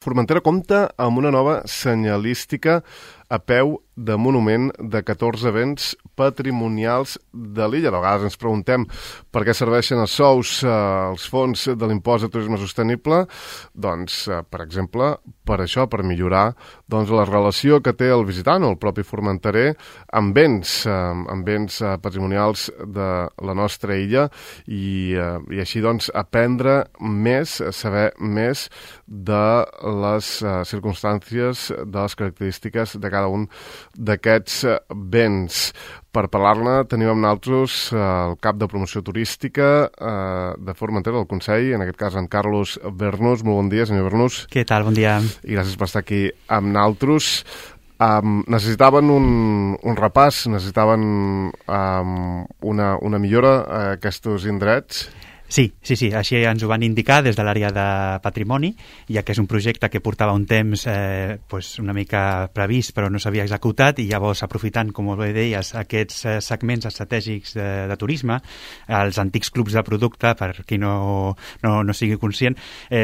Formentera compta amb una nova senyalística a peu de monument de 14 béns patrimonials de l'illa. De vegades ens preguntem per què serveixen els sous els fons de l'impost de turisme sostenible. Doncs, per exemple, per això, per millorar la relació que té el visitant o el propi formenterer amb béns patrimonials de la nostra illa i així aprendre més, saber més de les circumstàncies, de les característiques de cada un d'aquests béns. Per parlar-ne tenim amb nosaltres el cap de promoció turística de Formentera del Consell, en aquest cas en Carlos Bernús. Molt bon dia, senyor Bernús. Què tal? Bon dia. I gràcies per estar aquí amb nosaltres. Necessitaven un repàs, necessitaven una millora a aquests indrets. Sí, així ens ho van indicar des de l'àrea de patrimoni, ja que és un projecte que portava un temps una mica previst però no s'havia executat, i llavors aprofitant, com bé deies, aquests segments estratègics de turisme, els antics clubs de producte, per qui no sigui conscient,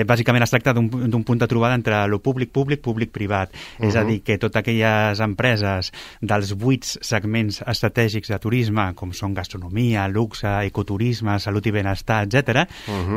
bàsicament es tracta d'un punt de trobada entre el públic-privat. És a dir, que totes aquelles empreses dels 8 segments estratègics de turisme, com són gastronomia, luxe, ecoturisme, salut i benestar, etc.,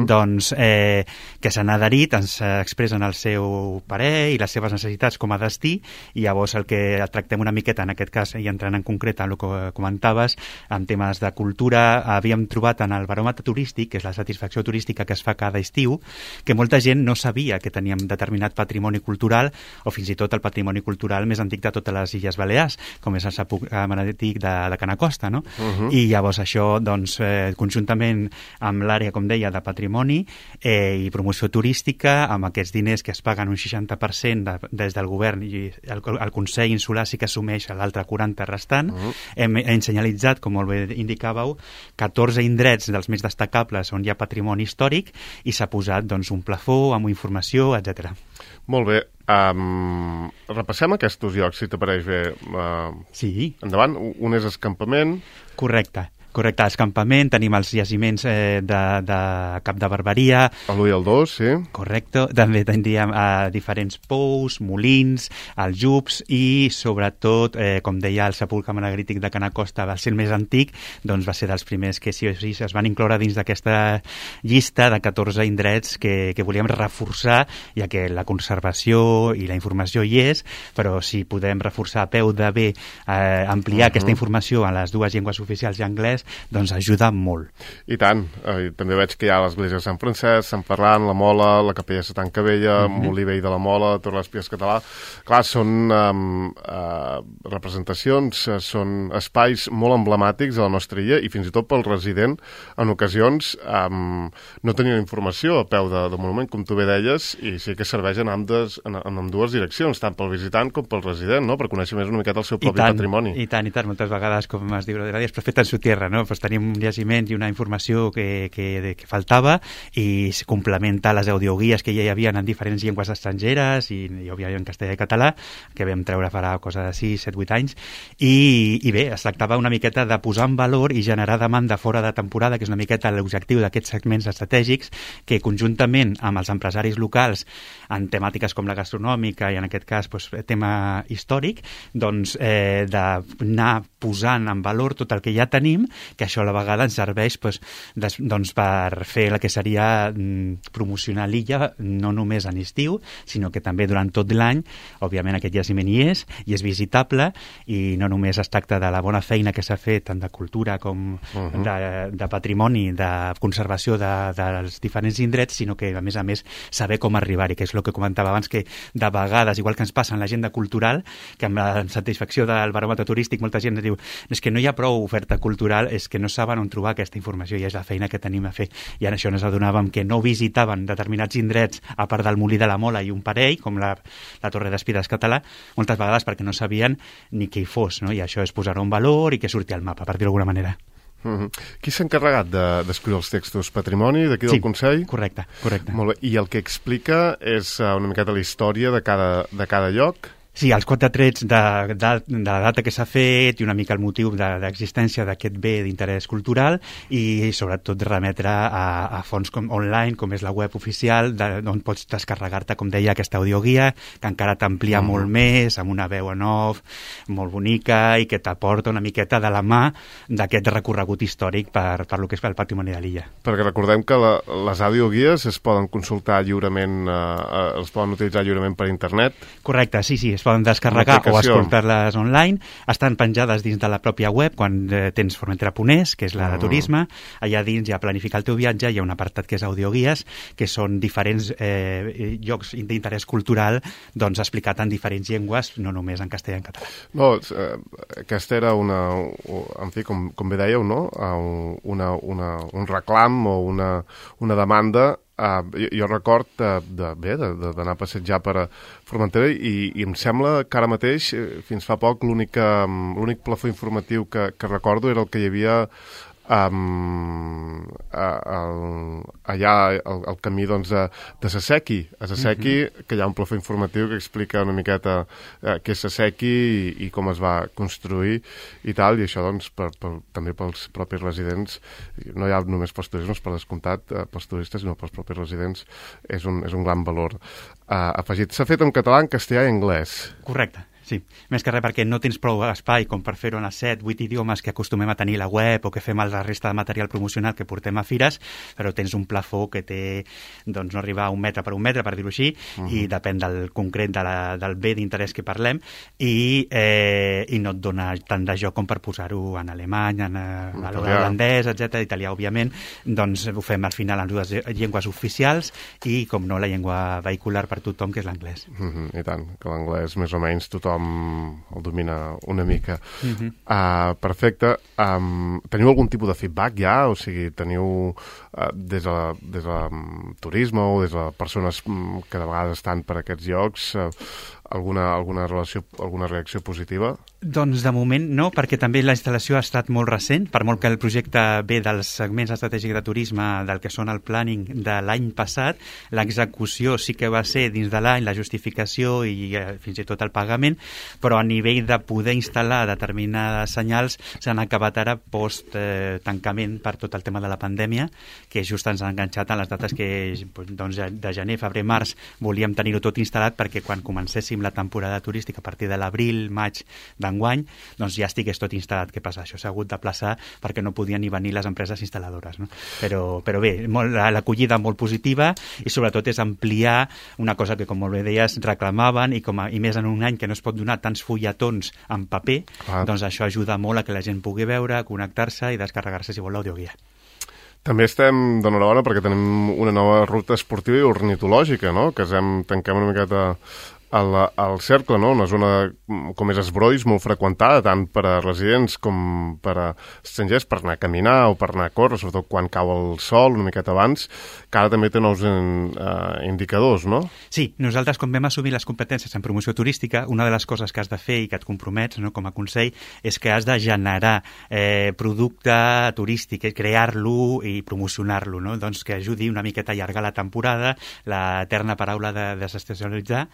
doncs que s'han adherit, ens expressen el seu parer i les seves necessitats com a destí, i llavors el que tractem una miqueta, en aquest cas, i entrant en concret en el que comentaves, en temes de cultura, havíem trobat en el baròmetre turístic, que és la satisfacció turística que es fa cada estiu, que molta gent no sabia que teníem determinat patrimoni cultural, o fins i tot el patrimoni cultural més antic de totes les Illes Balears, com és el Sapuc Manàtic de Canacosta, no? I llavors això, doncs, conjuntament amb l'àrea, com deia, de patrimoni i promoció turística, amb aquests diners que es paguen un 60% des del govern, i el Consell Insular sí que assumeix l'altre 40% restant. Hem senyalitzat, com molt bé indicàveu, 14 indrets dels més destacables on hi ha patrimoni històric, i s'ha posat un plafó amb informació, etc. Molt bé. Repassem aquests llocs, si t'apareix bé. Sí. Endavant. Un és escampament. Correcte, escampament, tenim els jaciments de Cap de Barberia. El 1 i el 2, sí. Correcte. També tindríem diferents pous, molins, els jubs i, sobretot, com deia, el sepulcre manegrític de Canacosta, va ser el més antic, doncs va ser dels primers que sí o sí es van incloure dins d'aquesta llista de 14 indrets que volíem reforçar, ja que la conservació i la informació hi és, però si podem reforçar a peu de bé, ampliar aquesta informació en les dues llengües oficials i anglès, doncs ajuda molt. I tant. També veig que hi ha l'església de Sant Francesc, Sant Ferran, la Mola, la capella de Sant Cabella, Molí Vell de la Mola, Torre d'Espies Català. Clar, són representacions, són espais molt emblemàtics de la nostra illa, i fins i tot pel resident, en ocasions, no tenien informació a peu de monument, com tu bé deies, i sí que serveix en ambdues direccions, tant pel visitant com pel resident, no?, per conèixer més una miqueta el seu propi patrimoni. I tant. Moltes vegades, com es diu, és profeta en su tierra, no? Pues tenim un jaciment i una informació que faltava, i complementa les audioguies que ja hi havia en diferents llengües estrangeres i òbviament en castellà i català, que vam treure farà cosa de 6, 7, 8 anys, i bé, es tractava una miqueta de posar en valor i generar demanda fora de temporada, que és una miqueta l'objectiu d'aquests segments estratègics, que conjuntament amb els empresaris locals en temàtiques com la gastronòmica i en aquest cas tema històric, doncs d'anar posant en valor tot el que ja tenim, que això a la vegada ens serveix per fer el que seria promocionar l'illa, no només en estiu, sinó que també durant tot l'any. Òbviament aquest jaciment hi és, i és visitable, i no només es tracta de la bona feina que s'ha fet tant de cultura com de patrimoni, de conservació dels diferents indrets, sinó que a més saber com arribar-hi, que és el que comentava abans, que de vegades, igual que ens passa en l'agenda cultural, que amb la satisfacció del baròmetre turístic molta gent diu és que no hi ha prou oferta cultural, és que no saben on trobar aquesta informació, i és la feina que tenim a fer. I en això ens adonàvem que no visitaven determinats indrets, a part del Molí de la Mola i un parell, com la Torre d'Espies Català, moltes vegades perquè no sabien ni què hi fos, no? I això és posar-ho en valor i que surti al mapa, per dir-ho d'alguna manera. Qui s'ha encarregat d'escriure els textos? Patrimoni, d'aquí del Consell? Sí, correcte. Molt bé. I el que explica és una miqueta la història de cada lloc? Sí, els 4 trets de la data que s'ha fet i una mica el motiu d'existència d'aquest bé d'interès cultural i sobretot remetre a fonts online, com és la web oficial, on pots descarregar-te, com deia, aquesta audioguia, que encara t'amplia molt més, amb una veu en off molt bonica i que t'aporta una miqueta de la mà d'aquest recorregut històric per lo que és el patrimoni de l'illa. Perquè recordem que les audioguies es poden consultar lliurement, es poden utilitzar lliurement per internet. Correcte, sí, es poden descarregar o escoltar-les online. Estan penjades dins de la pròpia web quan tens Formentera Ponés, que és la de turisme. Allà dins hi ha planificar el teu viatge, hi ha un apartat que és audioguies, que són diferents llocs d'interès cultural doncs explicat en diferents llengües, no només en castellà i en català. No, aquesta era en fi, com bé dèieu, no? Un reclam o una demanda. Jo record d'anar a passejar per Formentera i em sembla que ara mateix, fins fa poc, l'únic plafó informatiu que recordo era el que hi havia allà al camí de Sasequi, que hi ha un plafó informatiu que explica una miqueta què és Sasequi i com es va construir i tal, i això doncs també pels propis residents, no hi ha només pels turismes, per descomptat, pels turistes, sinó pels propis residents, és un gran valor afegit. S'ha fet en català, en castellà i anglès. Correcte. Sí, més que res perquè no tens prou espai com per fer-ho en els 7-8 idiomes que acostumem a tenir la web o que fem la resta de material promocional que portem a fires, però tens un plafó que té, doncs, no arribar a 1 metre per 1 metre, per dir-ho així, i depèn del concret del bé d'interès que parlem, i no et dona tant de joc com per posar-ho en alemany, en holandès, etc., italià, òbviament, doncs ho fem al final en 2 llengües oficials i, com no, la llengua vehicular per tothom, que és l'anglès. I tant, que l'anglès més o menys tothom el domina una mica. Perfecte. Teniu algun tipus de feedback ja? O sigui, teniu des de turisme o des de persones que de vegades estan per aquests llocs alguna reacció positiva? Doncs de moment no, perquè també la instal·lació ha estat molt recent, per molt que el projecte ve dels segments estratègics de turisme del que són el planning de l'any passat, l'execució sí que va ser dins de l'any, la justificació i fins i tot el pagament, però a nivell de poder instal·lar determinades senyals s'han acabat ara post-tancament per tot el tema de la pandèmia, que just ens ha enganxat en les dates que doncs, de gener, febrer, març volíem tenir-ho tot instal·lat perquè quan comencéssim la temporada turística a partir de l'abril, maig d'enguany, doncs ja estigués tot instal·lat. Què passa? Això s'ha hagut d'aplaçar perquè no podien ni venir les empreses instal·ladores, no? Però bé, l'acollida molt positiva i sobretot és ampliar una cosa que, com molt bé deies, reclamaven i més en un any que no es pot donar tants fulletons en paper, doncs això ajuda molt a que la gent pugui veure, connectar-se i descarregar-se, si vol, l'audioguia. També estem d'enhorabona perquè tenim una nova ruta esportiva i ornitològica, no? Que tanquem una miqueta al cercle, no? Una zona com és Esbrois, molt freqüentada, tant per a residents com per a estrangers, per anar a caminar o per anar a córrer, sobretot quan cau el sol, una miqueta abans, que ara també té nous indicadors, no? Sí, nosaltres quan vam assumir les competències en promoció turística, una de les coses que has de fer i que et compromets, no, com a consell, és que has de generar producte turístic, crear-lo i promocionar-lo, no? Doncs que ajudi una miqueta a allargar la temporada, l'eterna paraula de desestacionalitzar.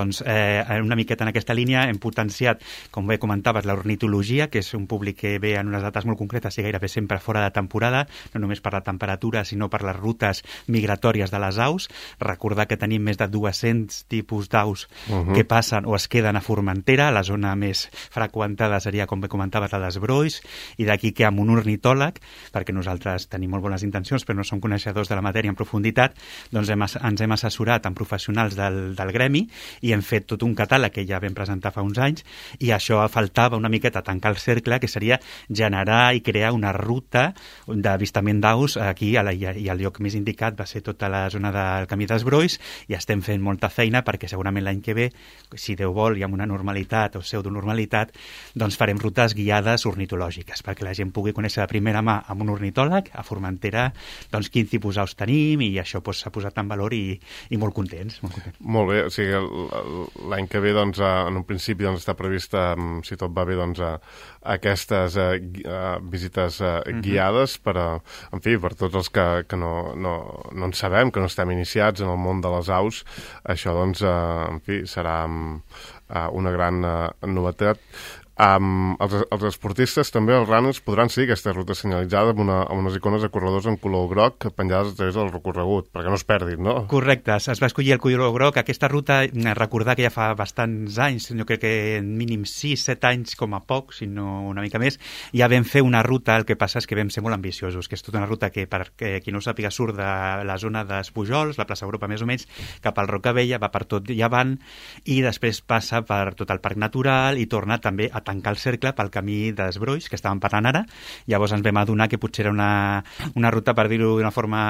Doncs una miqueta en aquesta línia hem potenciat, com bé comentaves, l'ornitologia, que és un públic que ve en unes dates molt concretes i gairebé sempre fora de temporada, no només per la temperatura, sinó per les rutes migratòries de les aus. Recordar que tenim més de 200 tipus d'aus que passen o es queden a Formentera. La zona més freqüentada seria, com bé comentaves, la d'Esbrois, i d'aquí que amb un ornitòleg, perquè nosaltres tenim molt bones intencions però no som coneixedors de la matèria en profunditat, doncs ens hem assessorat amb professionals del gremi i hem fet tot un catàleg que ja vam presentar fa uns anys, i això faltava una miqueta tancar el cercle, que seria generar i crear una ruta d'avistament d'aus aquí a l'illa, i el lloc més indicat va ser tota la zona del camí d'Esbrois, i estem fent molta feina perquè segurament l'any que ve, si Déu vol i amb una normalitat o pseudonormalitat, doncs farem rutes guiades ornitològiques perquè la gent pugui conèixer de primera mà amb un ornitòleg a Formentera doncs quin tipus d'aus tenim, i això s'ha posat en valor i molt contents. Molt bé, o sigui, l'any que ve, doncs, en un principi doncs, està prevista, si tot va bé, doncs, aquestes visites guiades en fi, per tots els que no en sabem, que no estem iniciats en el món de les aus. Això, doncs, en fi, serà una gran novetat. Els esportistes, també els runners, podran seguir aquesta ruta senyalitzada amb unes icones de corredors en color groc penjades a través del recorregut, perquè no es perdin, no? Correcte, es va escollir el color groc. Aquesta ruta, recordar que ja fa bastants anys, jo crec que mínim 6-7 anys com a poc, si no una mica més, ja vam fer una ruta, el que passa és que vam ser molt ambiciosos, que és tota una ruta que, perquè qui no ho sàpiga, surt de la zona d'Espujols, la plaça Europa més o menys, cap al Rocabella, va per tot Llevant, i després passa per tot el Parc Natural i torna també a tancar el cercle pel camí d'Esbrolls, que estàvem parlant ara. Llavors ens vam adonar que potser era una ruta, per dir-ho d'una forma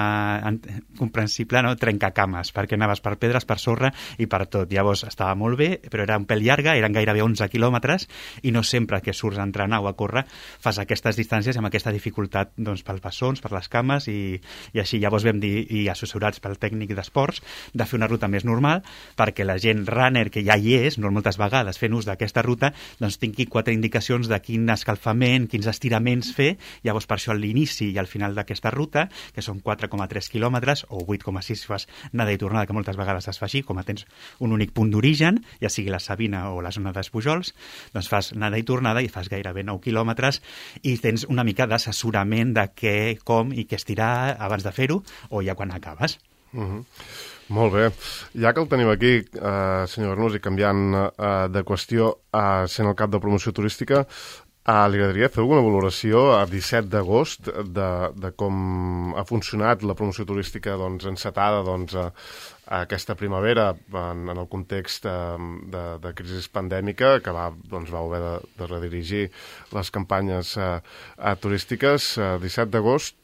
comprensible, no? Trencacames, perquè anaves per pedres, per sorra i per tot. Llavors estava molt bé, però era un pèl llarga, eren gairebé 11 quilòmetres, i no sempre que surts a entrenar o a córrer fas aquestes distàncies amb aquesta dificultat, doncs, pels bessons, per les cames, i així. Llavors vam dir, i assessorats pel tècnic d'esports, de fer una ruta més normal, perquè la gent runner que ja hi és, no moltes vegades fent ús d'aquesta ruta, doncs tingui 4 indicacions de quin escalfament, quins estiraments fer. Llavors, per això, a l'inici i al final d'aquesta ruta, que són 4,3 quilòmetres, o 8,6 fas anada i tornada, que moltes vegades es fa així, com a tens un únic punt d'origen, ja sigui la Sabina o la zona d'Espujols, doncs fas anada i tornada i fas gairebé 9 quilòmetres i tens una mica d'assessorament de què, com i què estirar abans de fer-ho o ja quan acabes. Molt bé. Ja que el tenim aquí, senyor Arnús, i canviant de qüestió, sent el cap de promoció turística, li agradaria fer alguna valoració a 17 d'agost de com ha funcionat la promoció turística, doncs, encetada, doncs, aquesta primavera en el context de crisi pandèmica, que va haver de redirigir les campanyes turístiques. 17 d'agost,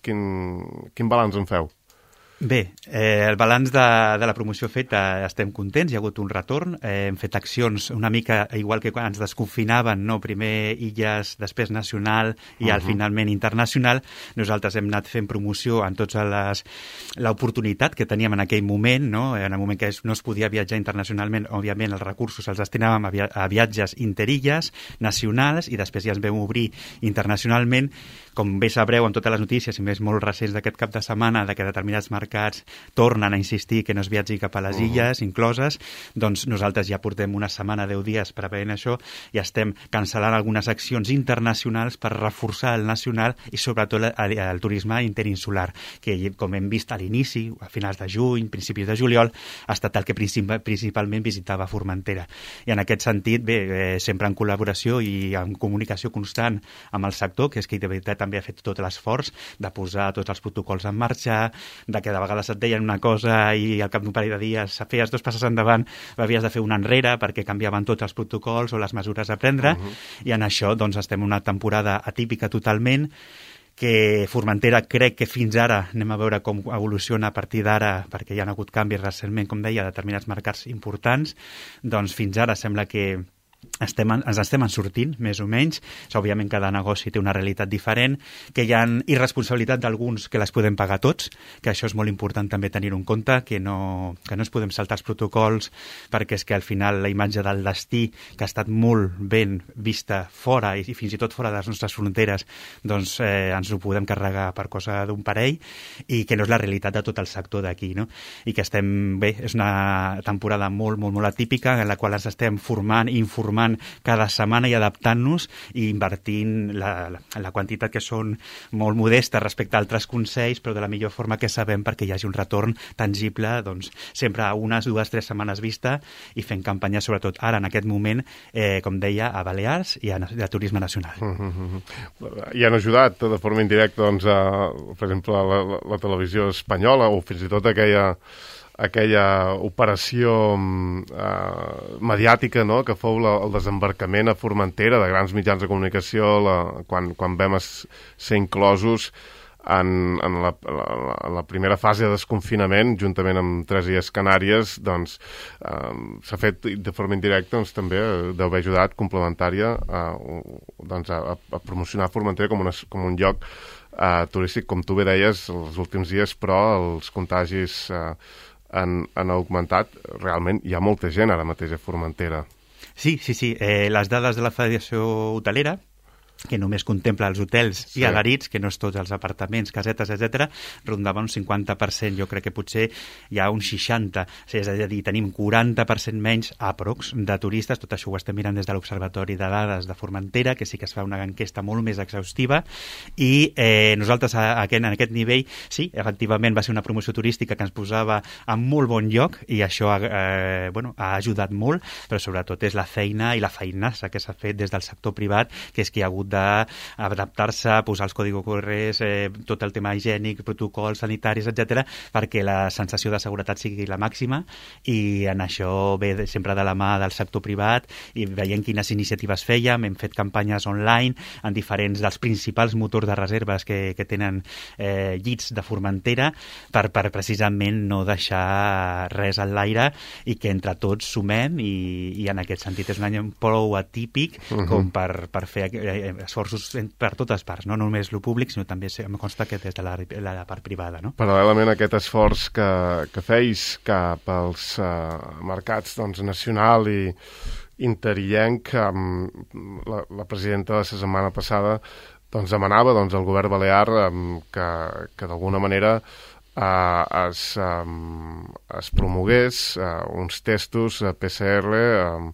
quin balanç en feu? Bé, el balanç de la promoció feta, estem contents, hi ha hagut un retorn, hem fet accions una mica igual que quan ens desconfinaven, no? Primer illes, després nacional i finalment internacional. Nosaltres hem anat fent promoció en tots l'oportunitat que teníem en aquell moment, no? En el moment que no es podia viatjar internacionalment, òbviament els recursos els destinàvem a viatges interilles, nacionals, i després ja ens vam obrir internacionalment. Com bé sabreu en totes les notícies, i més molt recents d'aquest cap de setmana, de que determinats mercats tornen a insistir que no es viatgi cap a les illes incloses, doncs nosaltres ja portem una setmana, 10 dies preveient això, i estem cancel·lant algunes accions internacionals per reforçar el nacional i sobretot el turisme interinsular, que com hem vist a l'inici, a finals de juny, principis de juliol, ha estat el que principalment visitava Formentera. I en aquest sentit, bé, sempre en col·laboració i en comunicació constant amb el sector, que és que de veritat també ha fet tot l'esforç de posar tots els protocols en marxa, de que de vegades et deien una cosa i al cap d'un parell de dies feies 2 passes endavant, havies de fer una enrere perquè canviaven tots els protocols o les mesures a prendre, i en això doncs estem en una temporada atípica totalment, que Formentera crec que fins ara, anem a veure com evoluciona a partir d'ara, perquè hi ha hagut canvis recentment, com deia, determinats mercats importants, doncs fins ara sembla que ens estem en sortint, més o menys. Òbviament cada negoci té una realitat diferent, que hi ha irresponsabilitat d'alguns que les podem pagar tots, que això és molt important també tenir-ho en compte, que no ens podem saltar els protocols, perquè és que al final la imatge del destí, que ha estat molt ben vista fora i fins i tot fora de les nostres fronteres, doncs ens ho podem carregar per cosa d'un parell, i que no és la realitat de tot el sector d'aquí, no? I que estem bé, és una temporada molt, molt, molt atípica, en la qual ens estem formant i informant cada setmana i adaptant-nos i invertint la quantitat que són molt modestes respecte a altres consells, però de la millor forma que sabem perquè hi hagi un retorn tangible, doncs sempre a unes 2-3 setmanes vista, i fent campanya sobretot ara en aquest moment, com deia, a Balears i a Turisme Nacional. I han ajudat de forma indirecta, doncs, per exemple, la televisió espanyola o fins i tot aquella operació mediàtica, no?, que fou el desembarcament a Formentera de grans mitjans de comunicació quan vam ser inclosos en la primera fase de desconfinament, juntament amb 3 illes Canàries, doncs s'ha fet de forma indirecta, doncs també deu haver ajudat complementària a promocionar Formentera com un lloc turístic, com tu bé deies, els últims dies, però els contagis han augmentat. Realment hi ha molta gent ara mateix a Formentera. Sí. Les dades de la Federació Hotelera, que només contempla els hotels i agarits, que no és tots els apartaments, casetes, etc., rondava un 50%. Jo crec que potser hi ha un 60%. És a dir, tenim 40% menys aprox de turistes. Tot això ho estem mirant des de l'Observatori de Dades de Formentera, que sí que es fa una enquesta molt més exhaustiva, i nosaltres en aquest nivell, sí, efectivament va ser una promoció turística que ens posava en molt bon lloc, i això ha ajudat molt, però sobretot és la feina i la feinassa que s'ha fet des del sector privat, que és que hi ha hagut d'adaptar-se, posar els códigos QR, tot el tema higiènic, protocols sanitaris, etc., perquè la sensació de seguretat sigui la màxima, i en això ve sempre de la mà del sector privat, i veient quines iniciatives fèiem. Hem fet campanyes online en diferents dels principals motors de reserves que tenen llits de Formentera, per precisament no deixar res en l'aire, i que entre tots sumem, i en aquest sentit és un any prou atípic com per fer esforços per totes parts, no només el públic, sinó també em consta que des de la part privada. No? Paral·lelament a aquest esforç que feis cap als mercats nacional i interillenc, la presidenta la setmana passada demanava al govern balear que d'alguna manera es promogués uns testos PCR,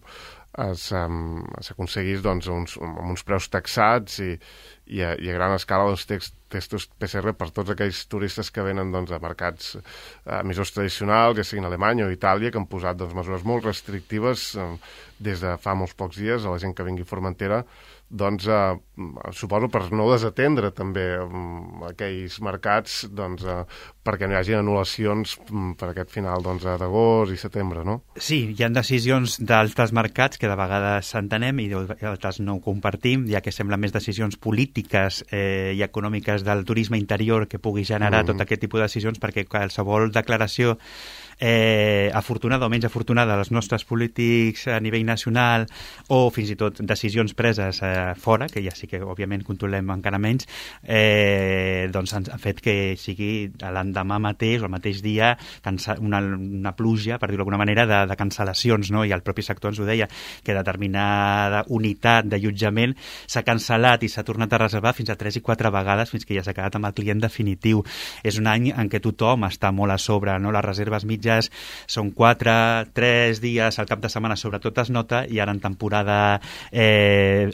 s'aconseguís amb uns preus taxats i a gran escala uns testos PCR per tots aquells turistes que venen a mercats emissors tradicionals, ja siguin Alemanya o Itàlia, que han posat mesures molt restrictives des de fa molts pocs dies a la gent que vingui a Formentera, suposo per no desatendre també aquells mercats perquè no hi hagi anul·lacions per aquest final d'agost i setembre, no? Sí, hi ha decisions d'altres mercats que de vegades s'entenem i d'altres no ho compartim, ja que semblen més decisions polítiques i econòmiques del turisme interior que pugui generar tot aquest tipus de decisions, perquè qualsevol declaració afortunada o menys afortunada dels nostres polítics a nivell nacional, o fins i tot decisions preses fora, que ja sí que òbviament controlem encara menys, han fet que sigui l'endemà mateix o el mateix dia una pluja, per dir-ho d'alguna manera, de cancel·lacions, no? I el propi sector ens ho deia, que determinada unitat d'allotjament s'ha cancel·lat i s'ha tornat a reservar fins a 3 i 4 vegades fins que ja s'ha quedat amb el client definitiu. És un any en què tothom està molt a sobre, no? Les reserves mitjanes són 4, 3 dies, al cap de setmana sobretot es nota, i ara en temporada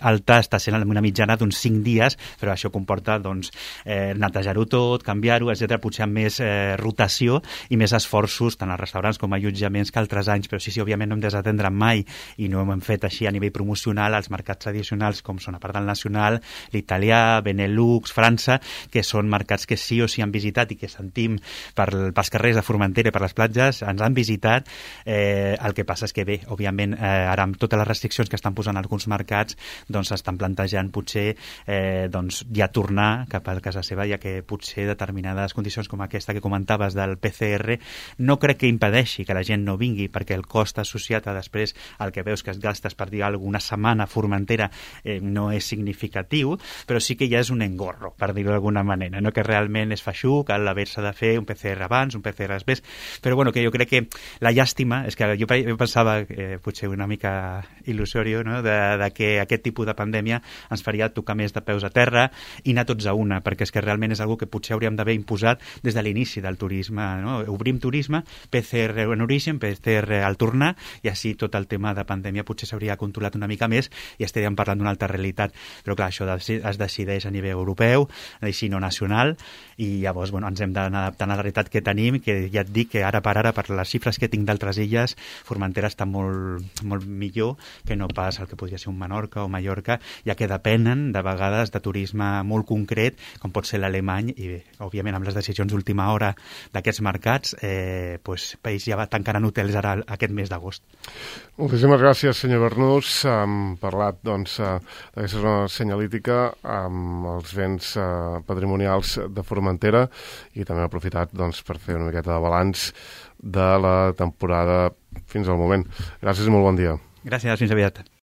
alta està sent una mitjana d'uns 5 dies, però això comporta netejar-ho tot, canviar-ho, etc., potser amb més rotació i més esforços tant als restaurants com a allotjaments que altres anys, però sí, òbviament no hem desatendre mai, i no ho hem fet així a nivell promocional, als mercats tradicionals com són a part del nacional, l'italià, Benelux, França, que són mercats que sí o sí han visitat i que sentim pels carrers de Formentera i per les platges, ens han visitat. El que passa és que bé, òbviament ara amb totes les restriccions que estan posant alguns mercats, s'estan plantejant potser ja tornar cap a casa seva, ja que potser determinades condicions com aquesta que comentaves del PCR no crec que impedeixi que la gent no vingui, perquè el cost associat a després el que veus que es gastes per dir alguna setmana a Formentera no és significatiu, però sí que ja és un engorro, per dir-ho d'alguna manera, no? Que realment és feixuc l'haver-se de fer un PCR abans, un PCR després, però bueno, que jo crec que la llàstima és que jo pensava, potser una mica il·lusorio, no? de que aquest tipus de pandèmia ens faria tocar més de peus a terra i anar tots a una, perquè és que realment és una que potser hauríem d'haver imposat des de l'inici del turisme, no? Obrim turisme, PCR en origen, PCR al tornar, i així tot el tema de pandèmia potser s'hauria controlat una mica més i estaríem parlant d'una altra realitat, però clar, això es decideix a nivell europeu, així no nacional, i llavors ens hem d'anar adaptant a la realitat que tenim, que ja et dic que ara per les xifres que tinc d'altres illes, Formentera està molt, molt millor que no pas el que podria ser un Menorca o Mallorca, ja que depenen de vegades de turisme molt concret, com pot ser l'alemany, i bé, òbviament amb les decisions d'última hora d'aquests mercats, país ja va tancant hotels ara aquest mes d'agost. Moltíssimes gràcies, senyor Bernús. Hem parlat d'aquesta zona senyalítica amb els béns patrimonials de Formentera, i també hem aprofitat per fer una miqueta de balanç de la temporada fins al moment. Gràcies i molt bon dia. Gràcies, fins aviat.